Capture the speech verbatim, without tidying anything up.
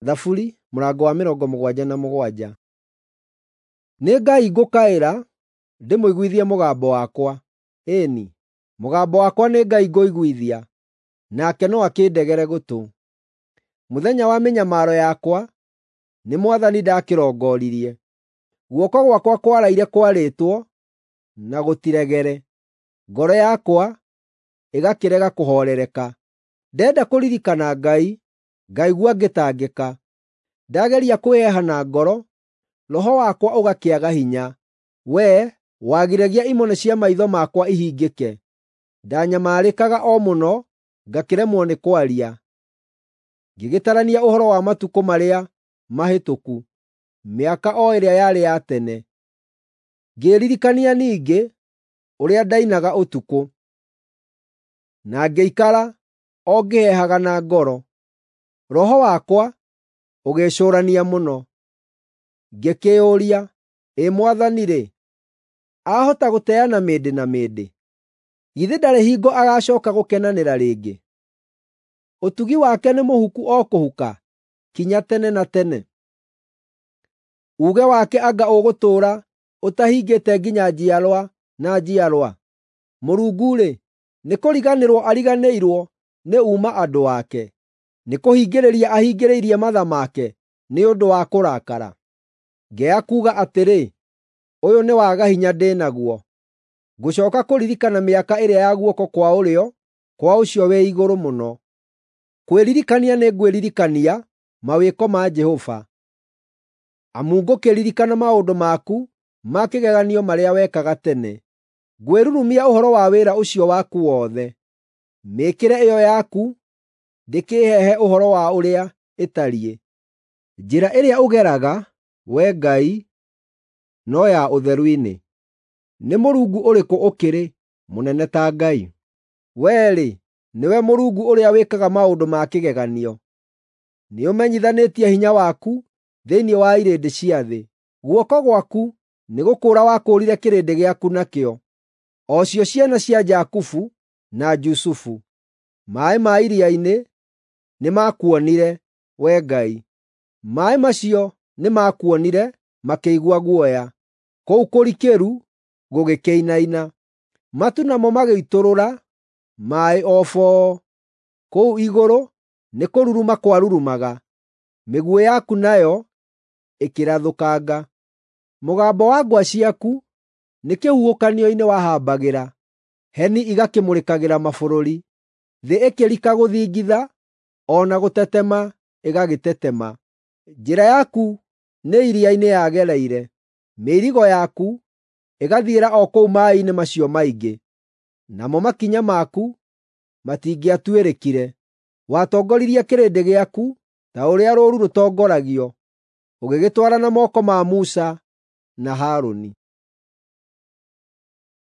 Thaburi mũrango wa mĩrongo mũgwanja na mũgwanja. Nĩ Ngai ngũkaĩra ndĩmũiguithie mũgambo wakwa; ĩĩ-ni, mũgambo wakwa nĩ Ngai ngũiguithia, nake no akĩndegere gũtũ. Mũthenya wa mĩnyamaro yakwa nĩ Mwathani ndakĩrongoririe; guoko gwakwa kwaraire kwarĩtwo na gũtiregere, ngoro yakwa ĩgakĩrega kũhoorereka. Ndenda kũririkana Ngai, ngaigua ngĩtangĩka; ndageria kwĩeha na ngoro, roho wakwa ũgakĩaga hinya. Wee wagiragia imone cia maitho makwa ihingĩke; ndanyamarĩkaga o mũno ngakĩremwo nĩ kwaria. Ngĩgĩtarania ũhoro wa matukũ marĩa mahĩtũku, mĩaka o ĩrĩa yarĩ ya tene. Ngĩĩririkania ningĩ ũrĩa ndainaga ũtukũ, na ngĩikara o ngĩhehaga na ngoro. Roho wakwa ũgĩĩcũũrania mũno. Ngĩkĩĩyũria, “Ĩ Mwathani-rĩ, aahota gũteana mĩndĩ na mĩndĩ? Githĩ ndarĩ hingo agacooka gũkenanĩra rĩngĩ? Ũtugi wake nĩ mũhuku o kũhuka kinya tene na tene? Uuge wake anga ũgũtũũra ũtahingĩte nginya njiarwa na njiarwa?” Mũrungu-rĩ, nĩkũriganĩrwo ariganĩirwo nĩ uuma andũ ake? Nĩkũhingĩrĩria ahingĩrĩirie matha make nĩ ũndũ wa kũrakara? Ngeya kuuga atĩrĩ, “Ũyũ nĩ waga hinya ndĩ naguo; ngũcooka kũririkana mĩaka ĩrĩa ya guoko kwa ũrĩo kwa Ũcio-wĩ-Igũrũ-Mũno.” Kwĩririkania nĩngwĩririkania mawĩko ma Jehova, amu ngũkĩririkana maũndũ maku ma kĩgeganio marĩa wekaga tene. Ngwĩrurumia ũhoro wa wĩra ũcio waku wothe; mĩĩkĩre ĩyo yaku ndĩkĩĩhehe ũhoro wa ũrĩa ĩtariĩ. Njĩra ĩrĩa ũgeraga, Wee Ngai, no ya ũtheru-inĩ. Nĩ Mũrungu ũrĩkũ ũkĩrĩ mũnene ta Ngai? Wee-rĩ, nĩwe Mũrungu ũrĩa wĩkaga maũndũ ma kĩgeganio. Nĩũmenyithanĩtie hinya waku thĩinĩ wa irĩndĩ cia thĩ. Guoko gwaku nĩgũkũũra wakũũrire kĩrĩndĩ gĩaku nakĩo, o cio ciana cia Jakubu na Jusufu. Maaĩ ma iria-inĩ nĩmakuonire, Wee Ngai; maaĩ macio nĩmakuonire makĩigua guoya, kũu kũrikĩru gũgĩkĩinaina. Matu namo magĩitũrũra maaĩ o boo; kũu igũrũ nĩkũruruma kwarurumaga, mĩguĩ yaku nayo ĩkĩrathũkanga. Mũgambo wa ngwa ciaku nĩ kĩhuhũkanio-inĩ wahambagĩra, heni igakĩmũrĩkagĩra mabũrũri. Thĩ ĩkĩrika gũthingitha, o na gũtetema ĩgagĩtetema. Njĩra yaku nĩ iria-inĩ yagereire, mĩirigo yaku ĩgathiĩra o kũu maaĩ-inĩ macio maingĩ, namo makinya maku matingĩatuĩrĩkire. Watongoririe kĩrĩndĩ gĩaku ta ũrĩa rũũru rũtongoragio, ũgĩgĩtwara na moko ma Musa na Harũni.